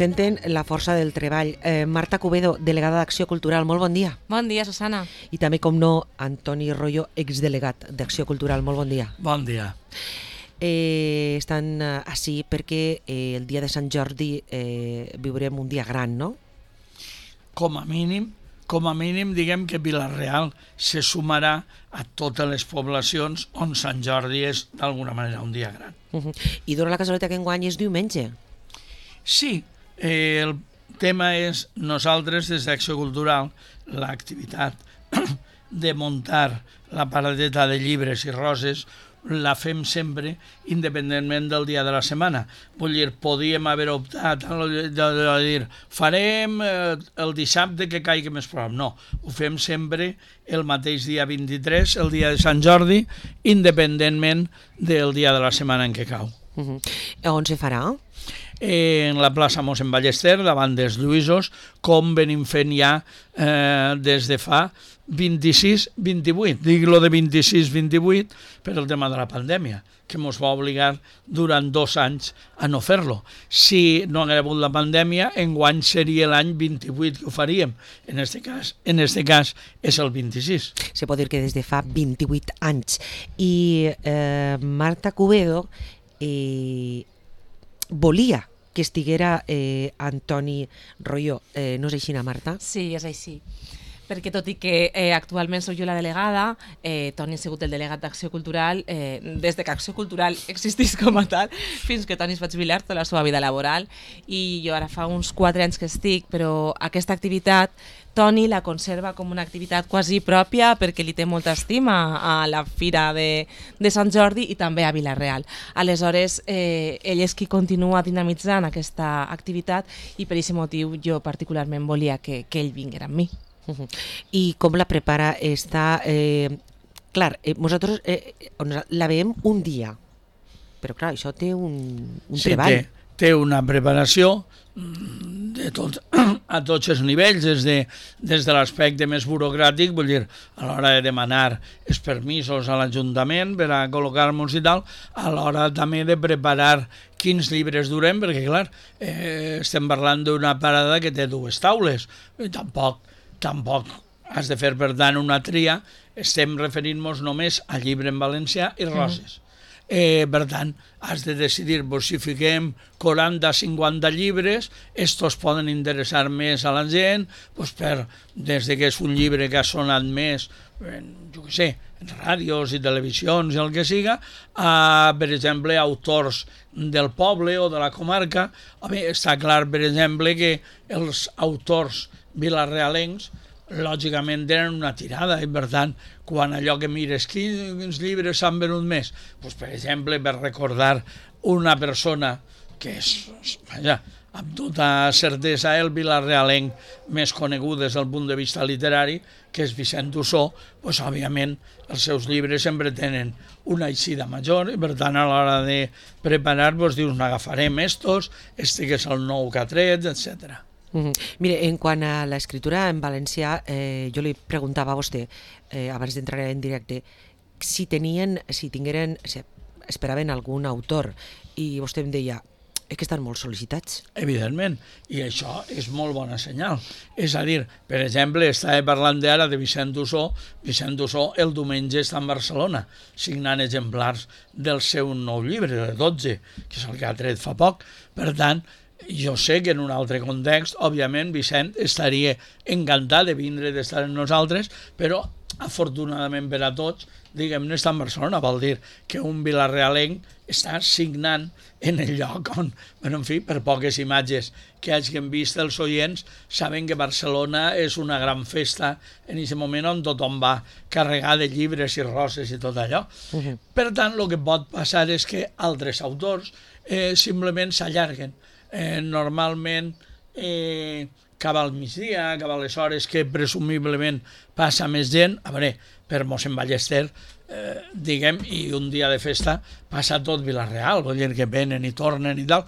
representen la força del treball. Marta Cubedo, delegada d'Acció Cultural, molt bon dia. Bon dia, Susana. I també, com no, Antoni Royo, exdelegat d'Acció Cultural, molt bon dia. Bon dia. Estan així perquè el dia de Sant Jordi viurem un dia gran, no? Com a mínim diguem que Vila-real se sumarà a totes les poblacions on Sant Jordi és d'alguna manera un dia gran. I dona la casualitat que enguany és diumenge. Sí, el tema és nosaltres des d'Acció Cultural l'activitat de muntar la paradeta de llibres i roses la fem sempre independentment del dia de la setmana. Vull dir, podíem haver optat a dir farem el dissabte que caigui més prop. No, ho fem sempre el mateix dia 23, el dia de Sant Jordi, independentment del dia de la setmana en què cau. On se farà? En la plaça Mossèn Ballester, davant dels Lluïsos, com venim fent ja des de fa 26-28. Dic lo de 26-28 per el tema de la pandèmia, que ens va obligar durant 2 anys a no fer-lo. Si no hagués hagut la pandèmia, enguany seria l'any 28 que ho faríem. En este cas és el 26. Se pot dir que des de fa 28 anys. I Marta Cubedo volia que estiguera Antoni Royo. No és així, Marta? Sí, és així. Perquè tot i que actualment soc jo la delegada, Toni ha sigut el delegat d'Acció Cultural des que Acció Cultural existís com a tal, fins que Toni es va jubilar tota la seva vida laboral, i jo ara fa uns 4 anys que estic, però aquesta activitat Toni la conserva com una activitat quasi pròpia perquè li té molta estima a la Fira de Sant Jordi i també a Vila-real. Aleshores, ell és qui continua dinamitzant aquesta activitat i per aquest motiu jo particularment volia que ell vinguera amb mi. I com la prepara? Clar, nosaltres la veiem un dia, però clar, això té un treball. Té una preparació a tots els nivells, des de l'aspecte més burocràtic, vull dir, a l'hora de demanar els permisos a l'Ajuntament per a col·locar-nos i tal, a l'hora també de preparar quins llibres durem, perquè clar, estem parlant d'una parada que té 2 taules, i tampoc has de fer, per tant, una tria. Estem referint-nos només a llibre en valencià i roses. Per tant, has de decidir si fiquem 40-50 llibres, estos poden interessar més a la gent, des que és un llibre que ha sonat més, jo què sé, en ràdios i televisions i el que siga, a, per exemple, autors del poble o de la comarca. Està clar, per exemple, que els autors vilarealencs lògicament tenen una tirada i per tant, quan allò que mires quins llibres s'han venut més, per exemple, per recordar una persona que és, amb tota certesa, el vilarealenc més conegut des del punt de vista literari, que és Vicent Ussó, òbviament els seus llibres sempre tenen una eixida major i per tant a l'hora de preparar dius n'agafarem estos, este que és el nou que ha tret, etc. Mire, en quant a l'escriptura en valencià, jo li preguntava a vostè, abans d'entrar en directe, si esperaven algun autor, i vostè em deia, és que estan molt sol·licitats. Evidentment, i això és molt bona senyal. És a dir, per exemple, estava parlant ara de Vicent Ussó. Vicent Ussó el diumenge està a Barcelona, signant exemplars del seu nou llibre, de 12, que és el que ha tret fa poc. Per tant, jo sé que en un altre context, òbviament, Vicent estaria encantat de vindre, d'estar amb nosaltres, però afortunadament per a tots, diguem-ne, està a Barcelona, vol dir que un vilarealenc està signant en el lloc on, en fi, per poques imatges que hagin vist els oients, saben que Barcelona és una gran festa en aquest moment on tothom va carregar de llibres i roses i tot allò. Per tant, el que pot passar és que altres autors simplement s'allarguen. Normalment cap al migdia, cap a les hores que presumiblement passa més gent, a veure, per Mossèn Ballester, diguem, i un dia de festa passa tot Vila-real, vol dir que venen i tornen i tal.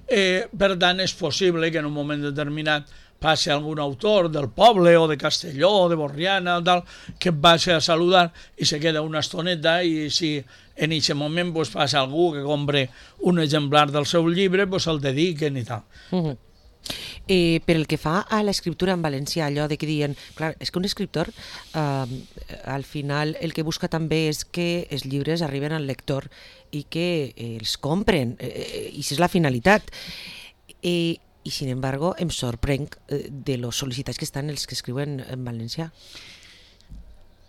Per tant, és possible que en un moment determinat passi algun autor del poble o de Castelló o de Borriana tal, que et vagi a saludar i se queda una estoneta, i si en aquest moment passa algú que compre un exemplar del seu llibre, el dediquen i tal. Per el que fa a l'escriptura en valencià, allò de que diuen, clar, és que un escriptor al final el que busca també és que els llibres arriben al lector i que els compren, i això és la finalitat. I sin embargo em sorprenc de los sol·licitats que estan els que escriuen en valencià.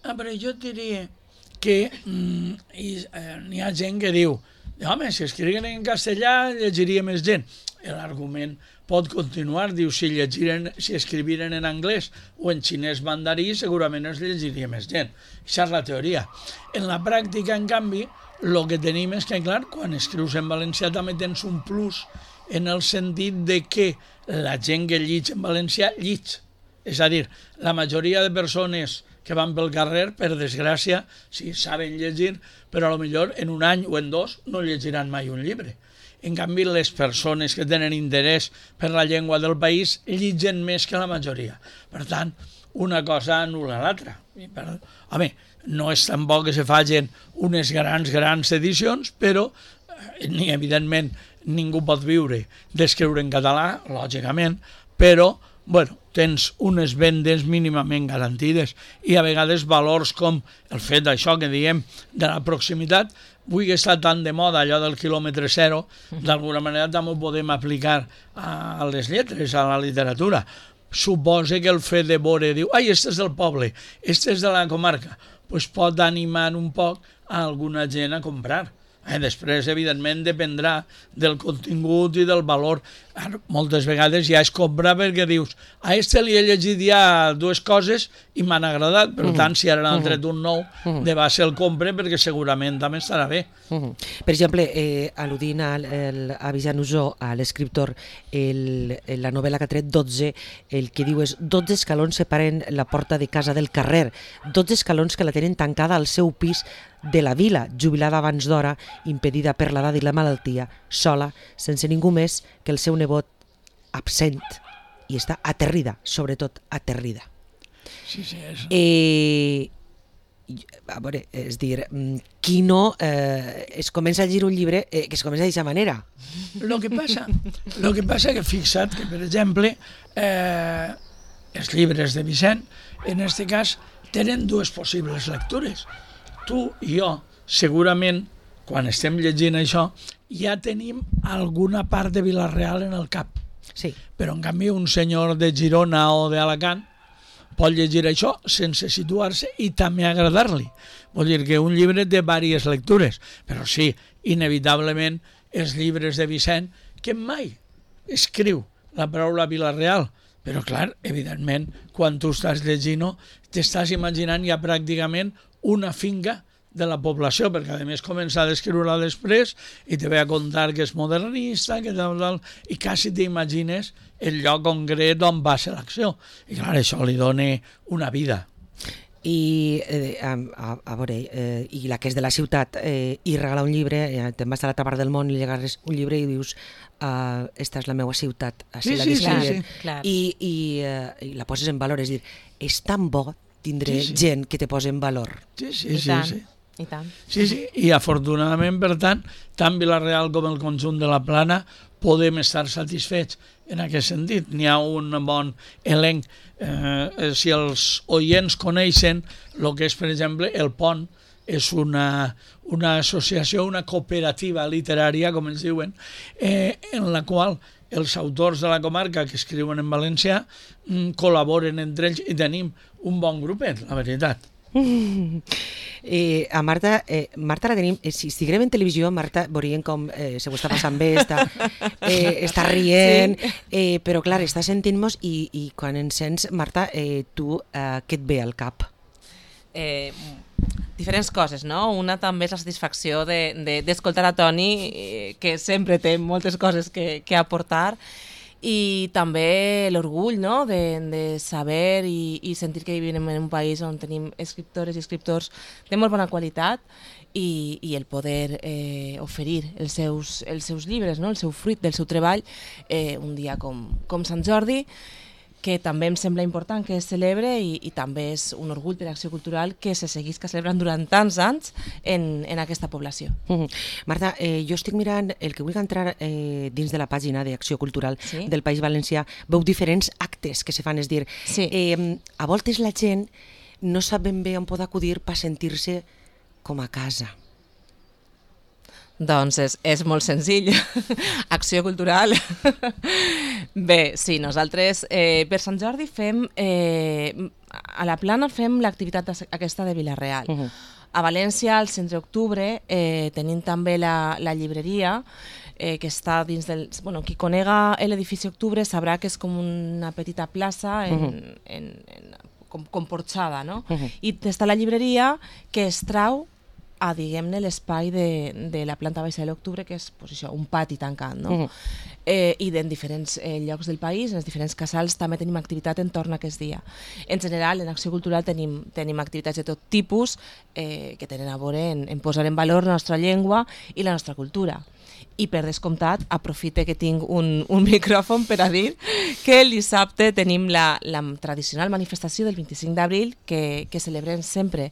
Però jo diria que n'hi ha gent que diu, home, si escrivien en castellà llegiria més gent. L'argument pot continuar, diu, si escriviren en anglès o en xinès mandarí, segurament es llegiria més gent. Això és la teoria. En la pràctica, en canvi, el que tenim és que, clar, quan escrius en valencià també tens un plus en el sentit de que la gent que llig en valencià llig. És a dir, la majoria de persones que van pel carrer, per desgràcia, sí, saben llegir, però potser en un any o en dos no llegiran mai un llibre. En canvi, les persones que tenen interès per la llengua del país lliguen més que la majoria. Per tant, una cosa anul·la l'altra. Home, no és tampoc que se facin unes grans edicions, però ni evidentment ningú pot viure d'escriure en català, lògicament, però bueno, tens unes vendes mínimament garantides i a vegades valors com el fet d'això que diem de la proximitat. Avui que està tan de moda allò del quilòmetre zero, d'alguna manera també ho podem aplicar a les lletres, a la literatura. Suposa que el fet de veure, diu, ai, este és del poble, este és de la comarca, doncs pot animar un poc a alguna gent a comprar. Després, evidentment, dependrà del contingut i del valor. Moltes vegades ja es compra perquè dius, a este li he llegit ja dues coses i m'han agradat, per tant, si ara n'han tret un nou, de base el compre perquè segurament també estarà bé. Per exemple, al·ludint a Vicent Usó, a l'escriptor, la novel·la que ha tret 12, el que diu és 12 escalons separen la porta de casa del carrer, 12 escalons que la tenen tancada al seu pis de la vila, jubilada abans d'hora, impedida per l'edat i la malaltia, sola, sense ningú més que el seu nebot absent, i està aterrida, sobretot aterrida. Sí, és... A veure, és dir, qui no es comença a llegir un llibre que es comença d'aquesta manera? Lo que passa que fixa't que, per exemple, els llibres de Vicent, en aquest cas, tenen dues possibles lectures. Tu i jo, segurament, quan estem llegint això, ja tenim alguna part de Vila-real en el cap. Sí. Però, en canvi, un senyor de Girona o d'Alacant pot llegir això sense situar-se i també agradar-li. Vol dir que un llibre té diverses lectures, però sí, inevitablement, els llibres de Vicent, que mai escriu la paraula Vila-real, però, clar, evidentment, quan tu estàs llegint-ho, t'estàs imaginant ja pràcticament una finca de la població, perquè a més comença a descriure-la després i te ve a contar que és modernista, que tal, i quasi t'imagines el lloc concret on va ser l'acció. I clar, això li dona una vida. I a veure, i la que és de la ciutat i regala un llibre, te'n vas a l'altra part del món i li agarres un llibre i dius esta és la meva ciutat, així la descriuen. I la poses en valor, és dir, és tan bo tindre gent que te posa en valor. Sí. I tant. Sí, i afortunadament, per tant, tant Vila-real com el conjunt de la Plana podem estar satisfets en aquest sentit. N'hi ha un bon elenc. Si els oients coneixen el que és, per exemple, el Pont, és una associació, una cooperativa literària, com ens diuen, en la qual els autors de la comarca que escriuen en valencià col·laboren entre ells i tenim un bon grupet, la veritat. A Marta la tenim, si estiguem en televisió, Marta veuríem com se ho està passant bé, està rient, però clar, està sentint-nos i quan ens sents, Marta, tu què et ve al cap? Diferents coses, no? Una també és la satisfacció d'escoltar a Toni, que sempre té moltes coses que aportar, i també l'orgull, no? de saber i sentir que vivim en un país on tenim escriptores i escriptors de molt bona qualitat i el poder oferir els seus llibres, no? El seu fruit del seu treball un dia com Sant Jordi, que també em sembla important que es celebre i també és un orgull per Acció Cultural que se seguisca celebrant durant tants anys en aquesta població. Marta, jo estic mirant, el que vull entrar dins de la pàgina d'Acció Cultural del País Valencià, veu diferents actes que se fan, és dir, a voltes la gent no sap ben bé on pot acudir per sentir-se com a casa. Doncs és molt senzill. Acció Cultural. Bé, sí, nosaltres per Sant Jordi fem, a la Plana fem l'activitat aquesta de Vila-real. A València, al centre d'octubre, tenim també la llibreria, que està dins del... Bueno, qui conega l'edifici Octubre sabrà que és com una petita plaça com porxada, no? I està la llibreria que es trau a, diguem-ne, l'espai de la planta baixa de l'Octubre, que és pues, això, un pati tancat, no? I en diferents llocs del país, en els diferents casals, també tenim activitat entorn a aquest dia. En general, en Acció Cultural tenim activitats de tot tipus que tenen a veure en posar en valor la nostra llengua i la nostra cultura. I per descomptat, aprofite que tinc un micròfon per a dir que el dissabte tenim la tradicional manifestació del 25 d'abril que celebrem sempre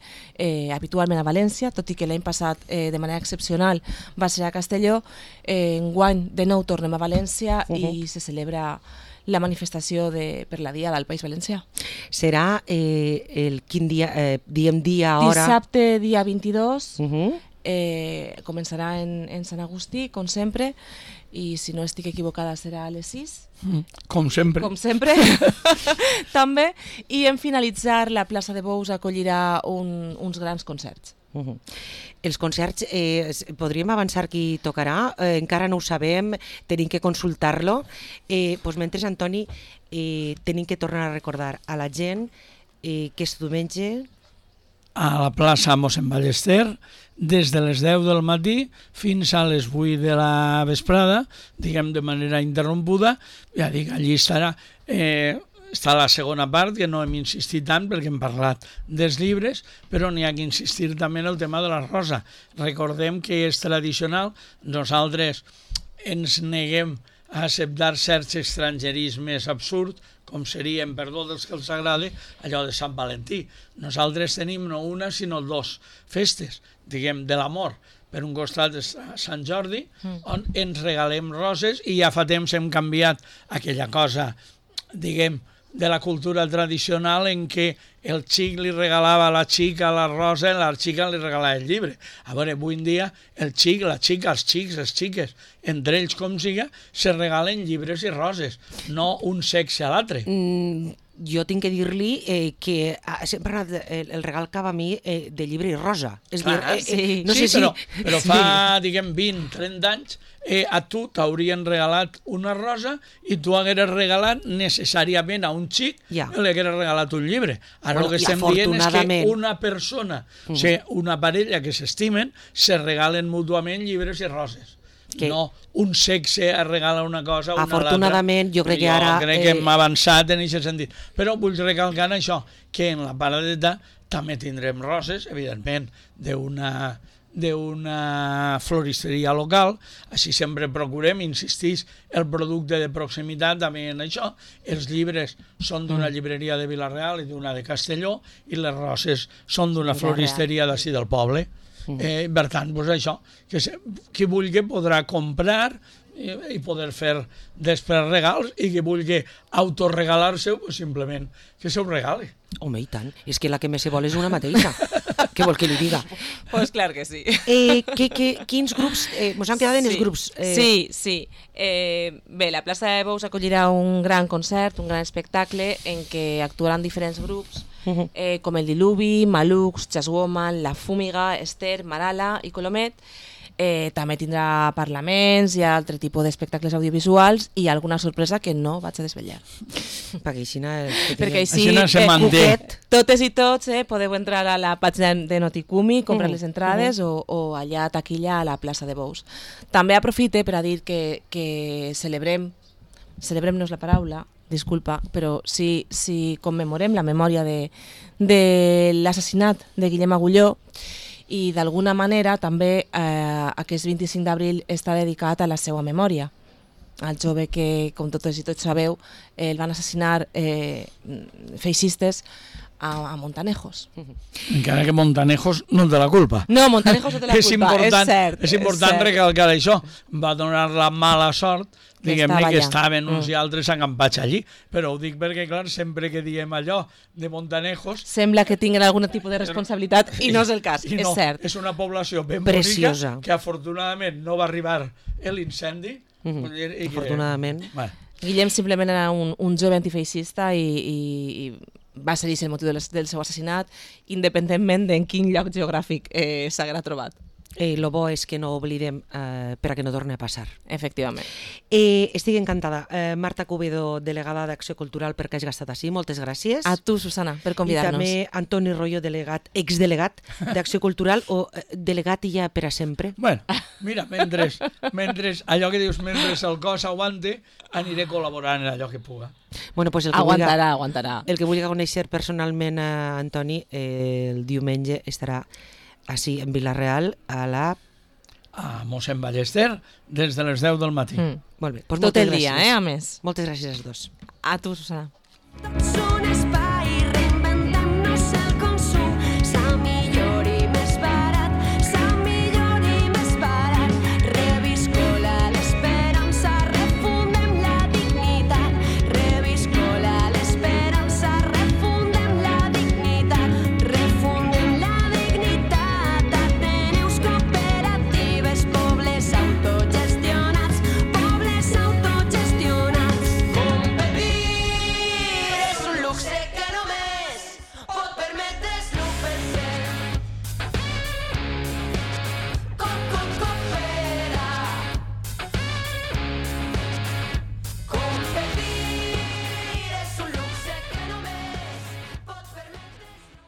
habitualment a València, tot i que l'any passat de manera excepcional va ser a Castelló. Enguany de nou tornem a València i se celebra la manifestació per la Diada del País Valencià. Serà quin dia, diem dia, hora? Dissabte, dia 22, començarà en Sant Agustí, com sempre, i si no estic equivocada serà a les 6. Com sempre. Com sempre, també. I en finalitzar, la plaça de Bous acollirà uns grans concerts. Els concerts, podríem avançar qui tocarà? Encara no ho sabem, tenim que consultar-lo. Mentre, Antoni, tenim que tornar a recordar a la gent que és diumenge a la plaça Mossèn Ballester, des de les 10 del matí fins a les 8 de la vesprada, diguem de manera interrompuda. Ja dic, allí estarà la segona part, que no hem insistit tant perquè hem parlat dels llibres, però n'hi ha que insistir també en el tema de la rosa. Recordem que és tradicional, nosaltres ens neguem a acceptar certs estrangerismes absurds, com serien, per tots els que els agrada, allò de Sant Valentí. Nosaltres tenim no una, sinó dos festes, diguem, de l'amor. Per un costat és Sant Jordi, on ens regalem roses, i ja fa temps hem canviat aquella cosa, diguem, de la cultura tradicional en què el xic li regalava a la xica la rosa i la xica li regalava el llibre. A veure, avui en dia el xic, la xica, els xics, les xiques, entre ells com siga, se regalen llibres i roses, no un sexe a l'altre. Jo tinc que dir-li que sempre ha anat el regal cap a mi de llibre i rosa. És dir, no sé si... Però fa, diguem, 20, 30 anys, a tu t'haurien regalat una rosa i tu hagueres regalat necessàriament a un xic li hagueres regalat un llibre. Ara el que estem dient és que una persona, o sigui, una parella que s'estimen, se regalen mútuament llibres i roses. No un sexe regala una cosa a una altra. Afortunadament, jo crec que ara... Jo crec que hem avançat en aquest sentit. Però vull recalcar això, que en la paradeta també tindrem roses, evidentment, d'una floristeria local. Així sempre procurem, insistís, el producte de proximitat també en això. Els llibres són d'una llibreria de Vila-real i d'una de Castelló, i les roses són d'una floristeria d'ací del poble. Per tant, doncs això, que qui vulgui podrà comprar i poder fer després regals, i qui vulgui autoregalar-se, simplement que se ho regale. Home, i tant. És que la que més se vol és una mateixa. Què vol que li diga? Pues clar que sí. Quins grups? Mos hem quedat en els grups. Sí. Bé, la plaça de Bous acollirà un gran concert, un gran espectacle en què actuaran diferents grups, com el Diluvi, Malux, Jazzwoman, La Fúmiga, Esther, Marala i Colomet. També tindrà parlaments i altre tipus d'espectacles audiovisuals i alguna sorpresa que no vaig a desvetllar. Perquè així se manté. Totes i tots podeu entrar a la pàgina de Noticumi, comprar les entrades o allà a taquilla a la plaça de Bous. També aprofite per a dir que celebrem-nos la paraula, disculpa, però si commemorem la memòria de l'assassinat de Guillem Agulló, i d'alguna manera també aquest 25 d'abril està dedicat a la seva memòria. el jove que, com totes i tots sabeu, el van assassinar feixistes a Montanejos. Encara que Montanejos no té la culpa. No, Montanejos no té la culpa, és cert. És important recalcar això. Va donar la mala sort, diguem-ne, que estaven uns i altres acampats allí. Però ho dic perquè, clar, sempre que diem allò de Montanejos... Sembla que tinguin algun tipus de responsabilitat i no és el cas, és cert. És una població ben preciosa, bonica, que afortunadament no va arribar l'incendi. Afortunadament. Guillem simplement era un jove antifeixista i va ser el motiu del seu assassinat, independentment d'en quin lloc geogràfic s'haguera trobat. Lo bo és que no oblidem per a que no torni a passar. Efectivament. Estic encantada. Marta Cubedo, delegada d'Acció Cultural, perquè has estat així. Moltes gràcies. A tu, Susana, per convidar-nos. I també Antoni Royo, exdelegat d'Acció Cultural, o delegat i ja per a sempre. Bueno, mira, mentre allò que dius, mentre el cos aguante, aniré col·laborant en allò que puga. Bueno, pues aguantarà. El que vulgui conèixer personalment a Antoni, el diumenge estarà així en Vila-real a mossèn Ballester des de les 10 del matí. Molt bé. Pues tot el dia, a més. Moltes gràcies als dos. A tu, Susana. Són